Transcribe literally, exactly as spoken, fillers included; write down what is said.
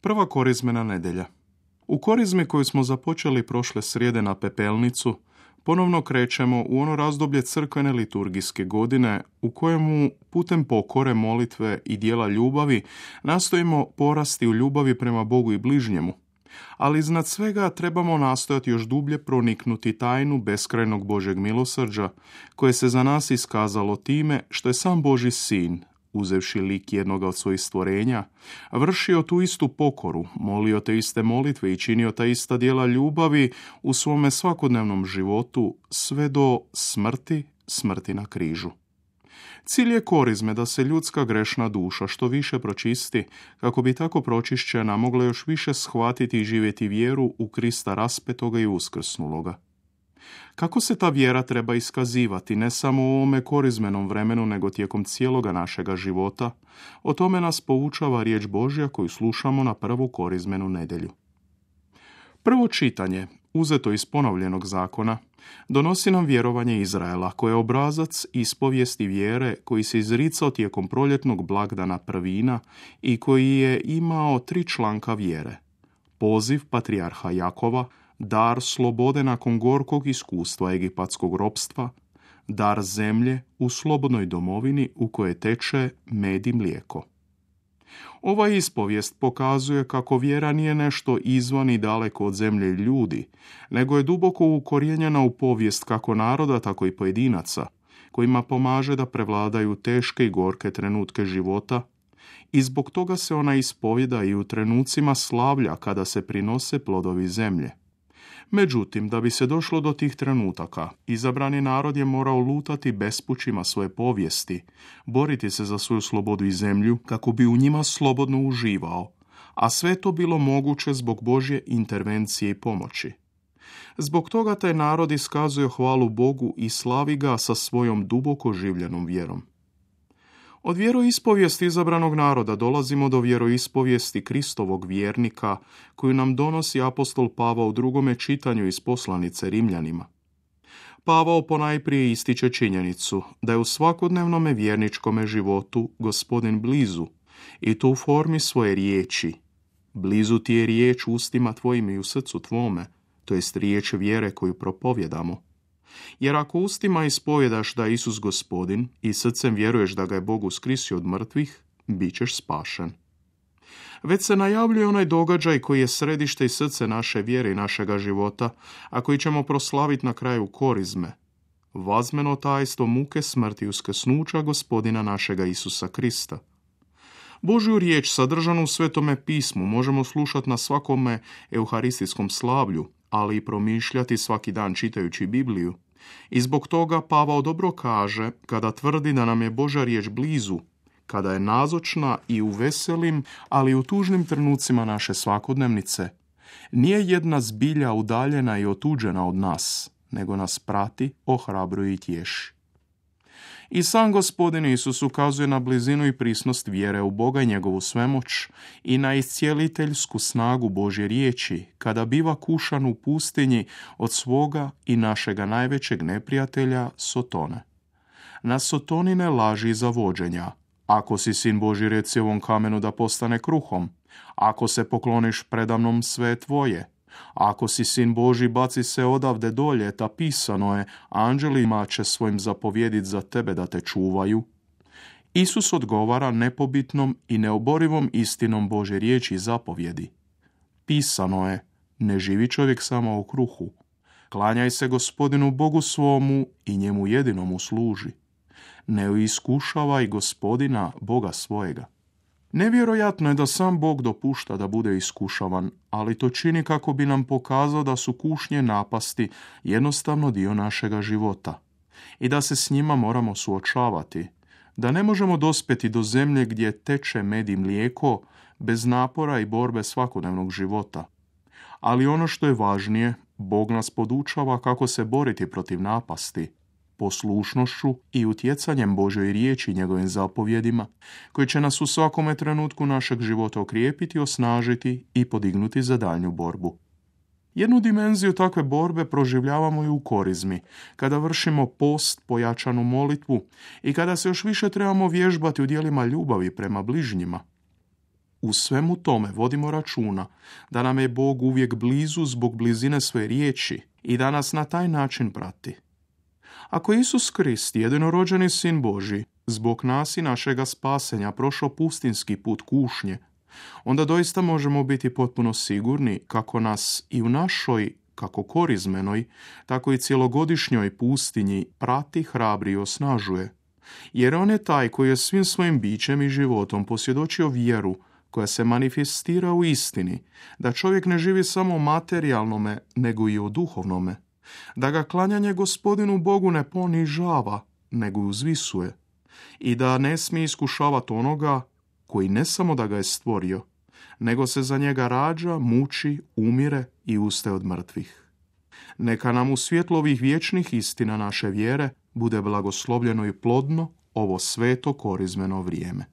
Prva korizmena nedjelja. U korizmi koju smo započeli prošle srijede na Pepelnicu, ponovno krećemo u ono razdoblje crkvene liturgijske godine u kojemu putem pokore, molitve i dijela ljubavi nastojimo porasti u ljubavi prema Bogu i bližnjemu, ali iznad svega trebamo nastojati još dublje proniknuti tajnu beskrajnog Božjeg milosrđa koje se za nas iskazalo time što je sam Božji sin, uzevši lik jednoga od svojih stvorenja, vršio tu istu pokoru, molio te iste molitve i činio ta ista djela ljubavi u svome svakodnevnom životu sve do smrti, smrti na križu. Cilj je korizme da se ljudska grešna duša što više pročisti, kako bi tako pročišćena mogla još više shvatiti i živjeti vjeru u Krista raspetoga i uskrsnuloga. Kako se ta vjera treba iskazivati ne samo u ovome korizmenom vremenu, nego tijekom cijeloga našega života, o tome nas poučava riječ Božja koju slušamo na prvu korizmenu nedjelju. Prvo čitanje, uzeto iz ponovljenog zakona, donosi nam vjerovanje Izraela, koje je obrazac ispovijesti vjere koji se izricao tijekom proljetnog blagdana prvina i koji je imao tri članka vjere. Poziv patrijarha Jakova, dar slobode nakon gorkog iskustva egipatskog ropstva, dar zemlje u slobodnoj domovini u kojoj teče med i mlijeko. Ova ispovijest pokazuje kako vjera nije nešto izvan i daleko od zemlje i ljudi, nego je duboko ukorijenjena u povijest kako naroda, tako i pojedinaca, kojima pomaže da prevladaju teške i gorke trenutke života, i zbog toga se ona ispovjeda i u trenucima slavlja kada se prinose plodovi zemlje. Međutim, da bi se došlo do tih trenutaka, izabrani narod je morao lutati bespućima svoje povijesti, boriti se za svoju slobodu i zemlju kako bi u njima slobodno uživao, a sve to bilo moguće zbog Božje intervencije i pomoći. Zbog toga taj narod iskazuje hvalu Bogu i slavi ga sa svojom duboko življenom vjerom. Od vjeroispovijesti izabranog naroda dolazimo do vjeroispovijesti Kristovog vjernika koju nam donosi apostol Pavao u drugome čitanju iz poslanice Rimljanima. Pavao ponajprije ističe činjenicu da je u svakodnevnome vjerničkome životu Gospodin blizu i to u formi svoje riječi. Blizu ti je riječ u ustima tvojim i u srcu tvome, to jest riječ vjere koju propovjedamo. Jer ako ustima ispovjedaš da je Isus Gospodin i srcem vjeruješ da ga je Bog uskrsio od mrtvih, bit ćeš spašen. Već se najavljuje onaj događaj koji je središte i srce naše vjere i našega života, a koji ćemo proslaviti na kraju korizme. Vazmeno tajstvo muke smrti uskrsnuća Gospodina našega Isusa Krista. Božju riječ sadržanu u Svetome pismu možemo slušati na svakome euharistijskom slavlju, ali i promišljati svaki dan čitajući Bibliju. I zbog toga Pavao dobro kaže kada tvrdi da nam je Božja riječ blizu, kada je nazočna i u veselim, ali i u tužnim trenucima naše svakodnevnice. Nije jedna zbilja udaljena i otuđena od nas, nego nas prati, ohrabruje i tješi. I sam Gospodin Isus ukazuje na blizinu i prisnost vjere u Boga i njegovu svemoć i na iscijeliteljsku snagu Božje riječi kada biva kušan u pustinji od svoga i našega najvećeg neprijatelja Sotone. Na Sotonine laži i zavođenja. Ako si sin Božji, reci ovom kamenu da postane kruhom. Ako se pokloniš predamnom, sve je tvoje. Ako si sin Božji, baci se odavde dolje, ta pisano je, anđelima će svojim zapovjedit za tebe da te čuvaju. Isus odgovara nepobitnom i neoborivom istinom Božje riječi i zapovjedi. Pisano je, ne živi čovjek samo u kruhu. Klanjaj se Gospodinu Bogu svomu i njemu jedinomu služi. Ne iskušavaj Gospodina Boga svojega. Nevjerojatno je da sam Bog dopušta da bude iskušavan, ali to čini kako bi nam pokazao da su kušnje napasti jednostavno dio našega života i da se s njima moramo suočavati, da ne možemo dospjeti do zemlje gdje teče med i mlijeko bez napora i borbe svakodnevnog života. Ali ono što je važnije, Bog nas podučava kako se boriti protiv napasti, poslušnošću i utjecanjem Božoj riječi i njegovim zapovjedima, koji će nas u svakome trenutku našeg života okrijepiti, osnažiti i podignuti za daljnju borbu. Jednu dimenziju takve borbe proživljavamo i u korizmi, kada vršimo post, pojačanu molitvu i kada se još više trebamo vježbati u djelima ljubavi prema bližnjima. u svemu tome vodimo računa da nam je Bog uvijek blizu zbog blizine svoje riječi i da nas na taj način prati. Ako Isus Krist, jedinorođeni Sin Božji, zbog nas i našega spasenja prošao pustinski put kušnje, onda doista možemo biti potpuno sigurni kako nas i u našoj, kako korizmenoj, tako i cjelogodišnjoj pustinji prati, hrabri i osnažuje. Jer on je taj koji je svim svojim bićem i životom posvjedočio vjeru koja se manifestira u istini, da čovjek ne živi samo materijalnome, nego i o duhovnome, da ga klanjanje Gospodinu Bogu ne ponižava, nego uzvisuje, i da ne smije iskušavati onoga koji ne samo da ga je stvorio, nego se za njega rađa, muči, umire i ustaje od mrtvih. Neka nam u svjetlu ovih vječnih istina naše vjere bude blagoslovljeno i plodno ovo sveto korizmeno vrijeme.